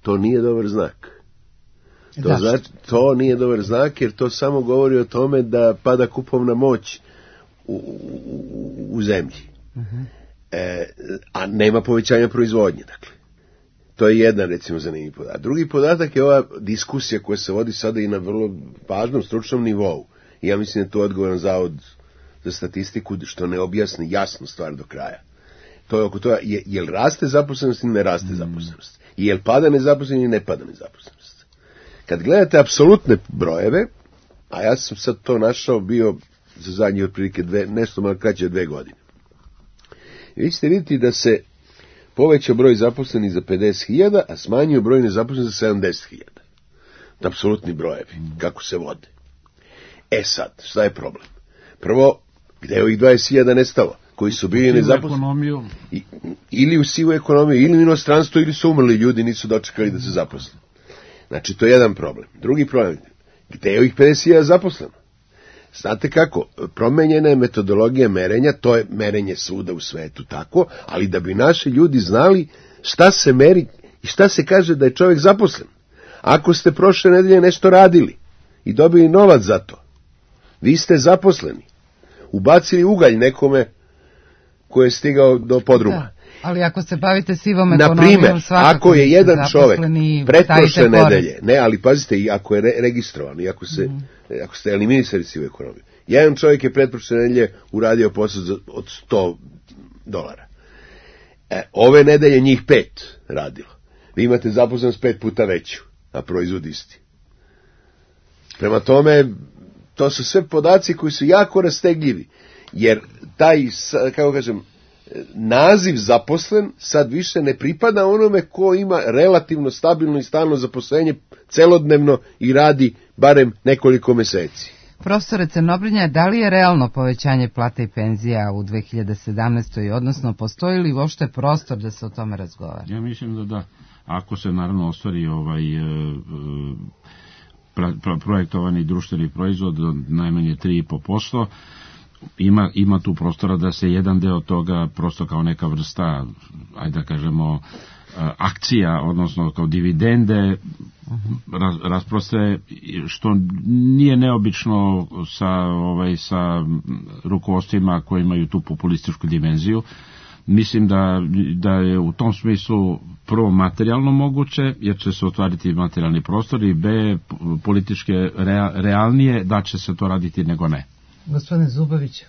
To nije dobar znak. To, znači, to nije dobar znak, jer to samo govori o tome da pada kupovna moć u, u, u zemlji. Uh-huh. E, a nema povećanja proizvodnje, dakle. To je jedan, recimo, zanimljiv podatak. Drugi podatak je ova diskusija koja se vodi sada i na vrlo važnom stručnom nivou. I ja mislim da je to odgovoran zavod za statistiku, što ne objasni jasnu stvar do kraja. To je oko toga, je, je li raste zaposlenost ili ne raste zaposlenost? I je li pada nezaposlenost ili ne pada nezaposlenost? Kad gledate apsolutne brojeve, a ja sam sad to našao bio za zadnje otprilike dve, nešto malo kraće od dve godine. Vi ćete vidjeti da se povećao broj zaposlenih za pedeset hiljada, a smanjio broj nezaposlenih za sedamdeset hiljada. Apsolutni brojevi, kako se vode. E sad, šta je problem? Prvo, gde je ovih dvadeset hiljada nestalo? Koji su bili nezaposleni? Ili u sivu ekonomiju, ili u inostranstvu, ili su umrli ljudi, nisu dočekali da se zaposle. Znači, to je jedan problem. Drugi problem, gde je ovih pedeset hiljada zaposleno? Znate kako, promenjena je metodologija merenja, to je merenje svuda u svetu tako, ali da bi naši ljudi znali šta se meri i šta se kaže da je čovjek zaposlen. Ako ste prošle nedelje nešto radili i dobili novac za to, vi ste zaposleni. Ubacili ugalj nekome ko je stigao do podruma. Da, ali ako se bavite sivom ekonomijom, naprimer, ako je jedan čovjek pretprošle nedelje, ne, ali pazite, i ako je re, registrovan, i ako, se, mm. ako ste eliminisali sivu ekonomiju, jedan čovjek je pretprošle nedelje uradio posao za, od sto dolara. E, ove nedelje njih pet radilo. Vi imate zaposlenost pet puta veću, a proizvod isti. Prema tome, to su sve podaci koji su jako rastegljivi, jer taj, kako kažem, naziv zaposlen sad više ne pripada onome ko ima relativno stabilno i stalno zaposlenje celodnevno i radi barem nekoliko meseci. Profesore Crnobrinja, da li je realno povećanje plata i penzija u dve hiljade sedamnaestoj. odnosno postoji li uopšte prostor da se o tome razgovara? Ja mislim da da. Ako se naravno ostvari ovaj... E, Pra, pra, projektovani društveni proizvod od najmanje tri i po posto, ima, ima tu prostora da se jedan deo toga prosto kao neka vrsta, ajde da kažemo, akcija, odnosno kao dividende raz, rasproste, što nije neobično sa, ovaj, sa rukovodstvima koji imaju tu populističku dimenziju. Mislim da, da je u tom smislu prvo materijalno moguće, jer će se otvariti materijalni prostor, i b, političke rea, realnije da će se to raditi nego ne. Gospodine Zubović.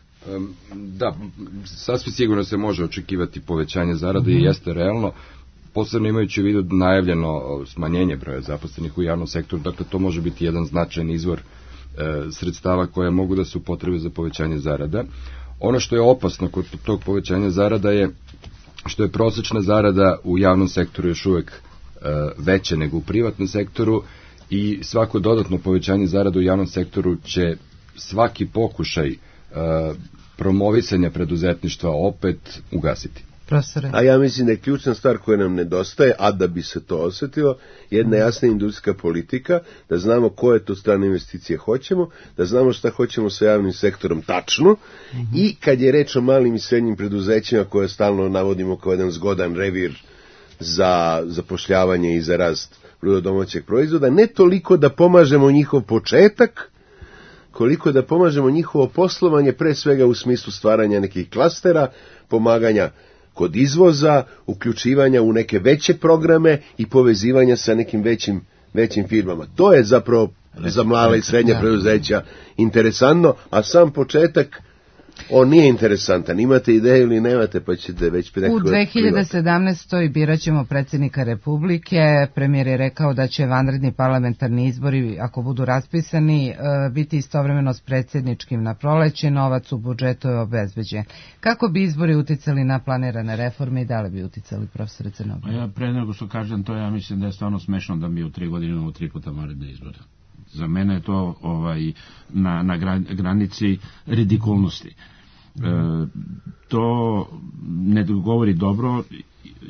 Da, sasvim sigurno se može očekivati povećanje zarade mm-hmm. i jeste realno, posebno imajući u vidu najavljeno smanjenje broja zaposlenih u javnom sektoru, dakle to može biti jedan značajan izvor e, sredstava koje mogu da se upotrebe za povećanje zarada. Ono što je opasno kod tog povećanja zarada je što je prosečna zarada u javnom sektoru još uvek e, veća nego u privatnom sektoru, i svako dodatno povećanje zarada u javnom sektoru će svaki pokušaj e, promovisanja preduzetništva opet ugasiti. Profesore. A ja mislim da je ključna stvar koja nam nedostaje, a da bi se to osjetilo, jedna jasna industrijska politika, da znamo koje to strane investicije hoćemo, da znamo šta hoćemo sa javnim sektorom tačno, mm-hmm. i kad je reč o malim i srednjim preduzećima koje stalno navodimo kao jedan zgodan revir za zapošljavanje i za rast bruto domaćeg proizvoda, ne toliko da pomažemo njihov početak, koliko da pomažemo njihovo poslovanje, pre svega u smislu stvaranja nekih klastera, pomaganja kod izvoza, uključivanja u neke veće programe i povezivanja sa nekim većim, većim firmama. To je zapravo za mala i srednja preduzeća interesantno, a sam početak, on nije interesantan. Imate ideju ili nemate, pa ćete već... U dve hiljade sedamnaestoj birat ćemo predsjednika Republike. Premijer je rekao da će vanredni parlamentarni izbori, ako budu raspisani, biti istovremeno s predsjedničkim na proleće. Novac u budžetu je obezbeđen. Kako bi izbori uticali na planirane reforme i da li bi uticali, profesore Crnobrinja? Ja pre nego što kažem to, ja mislim da je stvarno smešno da mi u tri godine imamo tri puta vanredne izbore. Za mene je to ovaj, na, na granici ridikulnosti. E, to ne govori dobro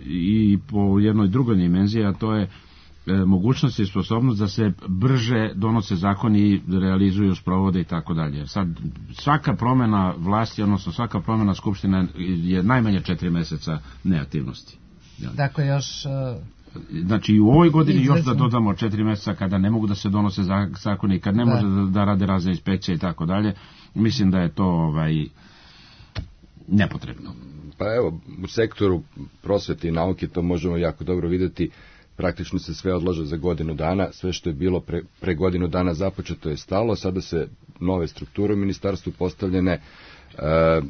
i po jednoj drugoj dimenziji, a to je e, mogućnost i sposobnost da se brže donose zakoni, realizuju, sprovode i tako dalje. Sad, svaka promjena vlasti, odnosno svaka promjena skupština je najmanje četiri mjeseca neaktivnosti. Ja. Dakle, još... Uh... Znači i u ovoj godini Izvezim. još da dodamo četiri mjeseca kada ne mogu da se donose zakoni, kad ne da. može da, da rade razne inspekcije i tako dalje, mislim da je to ovaj, nepotrebno. Pa evo, u sektoru prosvete i nauke to možemo jako dobro vidjeti, praktično se sve odlaže za godinu dana, sve što je bilo pre, pre godinu dana započeto je stalo, sada se nove strukture u ministarstvu postavljene, e,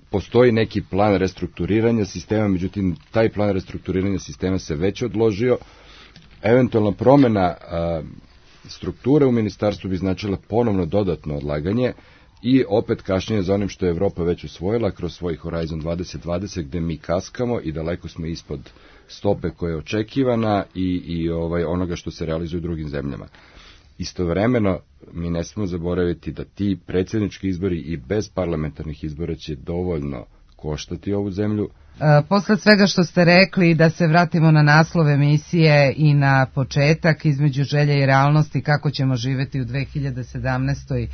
postoji neki plan restrukturiranja sistema, međutim, taj plan restrukturiranja sistema se već odložio. Eventualna promjena a, strukture u ministarstvu bi značila ponovno dodatno odlaganje i opet kašnjenje za onim što je Evropa već usvojila kroz svoj Horizon dvadeset dvadeset, gde mi kaskamo i daleko smo ispod stope koja je očekivana i, i ovaj, onoga što se realizuje u drugim zemljama. Istovremeno, mi ne smemo zaboraviti da ti predsjednički izbori i bez parlamentarnih izbora će dovoljno koštati ovu zemlju. E, posle svega što ste rekli, da se vratimo na naslov emisije i na početak, između želje i realnosti, kako ćemo živjeti u dve hiljade sedamnaestoj.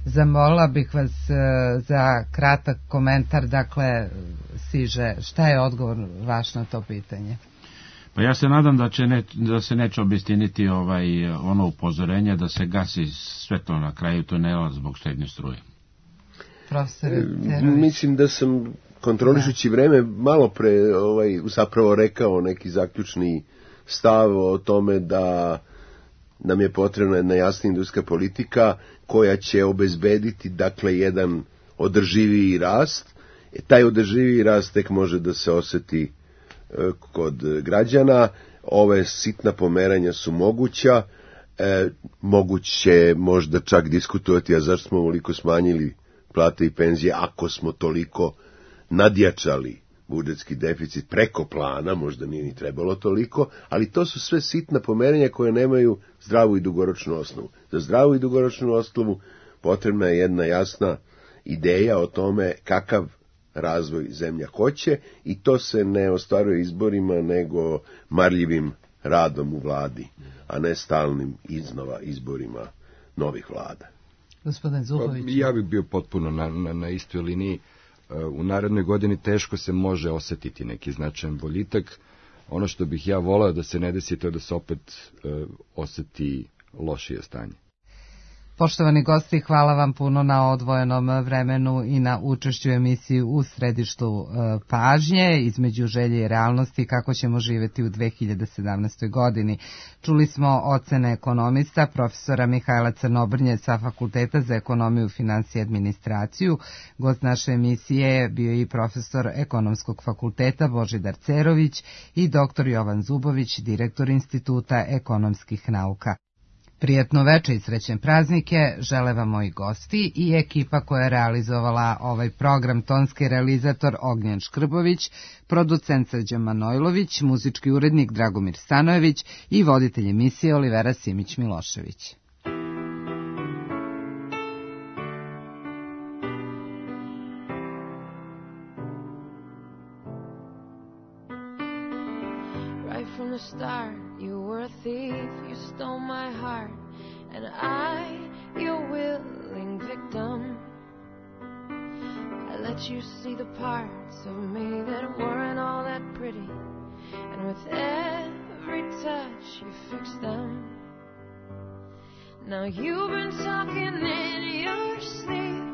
Zamolila bih vas e, za kratak komentar, dakle, Siže, šta je odgovor vaš na to pitanje? Pa ja se nadam da, će ne, da se neće obistiniti ovaj, ono upozorenje da se gasi sve to na kraju tunela zbog štednje struje. Profesor Mislim da sam kontrolišući da. vreme malo pre ovaj, zapravo rekao neki zaključni stav o tome da nam je potrebna jedna jasna industrijska politika koja će obezbediti dakle jedan održiviji rast. E, taj održiviji rast tek može da se oseti e, kod građana. Ove sitna pomeranja su moguća, e, moguće možda čak diskutovati, a zašto smo ovoliko smanjili plate i penzije ako smo toliko nadjačali budžetski deficit preko plana, možda nije ni trebalo toliko, ali to su sve sitna pomeranja koje nemaju zdravu i dugoročnu osnovu. Za zdravu i dugoročnu osnovu potrebna je jedna jasna ideja o tome kakav razvoj zemlja hoće i to se ne ostvaruje izborima nego marljivim radom u vladi, a ne stalnim iznova izborima novih vlada. Gospodin Zubović. Ja bih bio potpuno na, na, na istoj liniji. U narednoj godini teško se može osetiti neki značajan boljitak. Ono što bih ja voleo da se ne desi, to je da se opet uh, oseti lošije stanje. Poštovani gosti, hvala vam puno na odvojenom vremenu i na učešću emisiji U središtu pažnje, između želje i realnosti kako ćemo živjeti u dve hiljade sedamnaestoj. godini. Čuli smo ocene ekonomista, profesora Mihajla Crnobrnje sa Fakulteta za ekonomiju, finansije i administraciju. Gost naše emisije je bio i profesor Ekonomskog fakulteta Božidar Cerović i doktor Jovan Zubović, direktor Instituta ekonomskih nauka. Prijetno veče i srećne praznike žele vam moji gosti i ekipa koja je realizovala ovaj program, tonski realizator Ognjen Škrbović, producent Srđan Manojlović, muzički urednik Dragomir Stanojević i voditelj emisije Olivera Simić-Milošević. Right from the start, you were a thief, you stole my heart, and I, your willing victim. I let you see the parts of me that weren't all that pretty, and with every touch you fixed them. Now you've been talking in your sleep,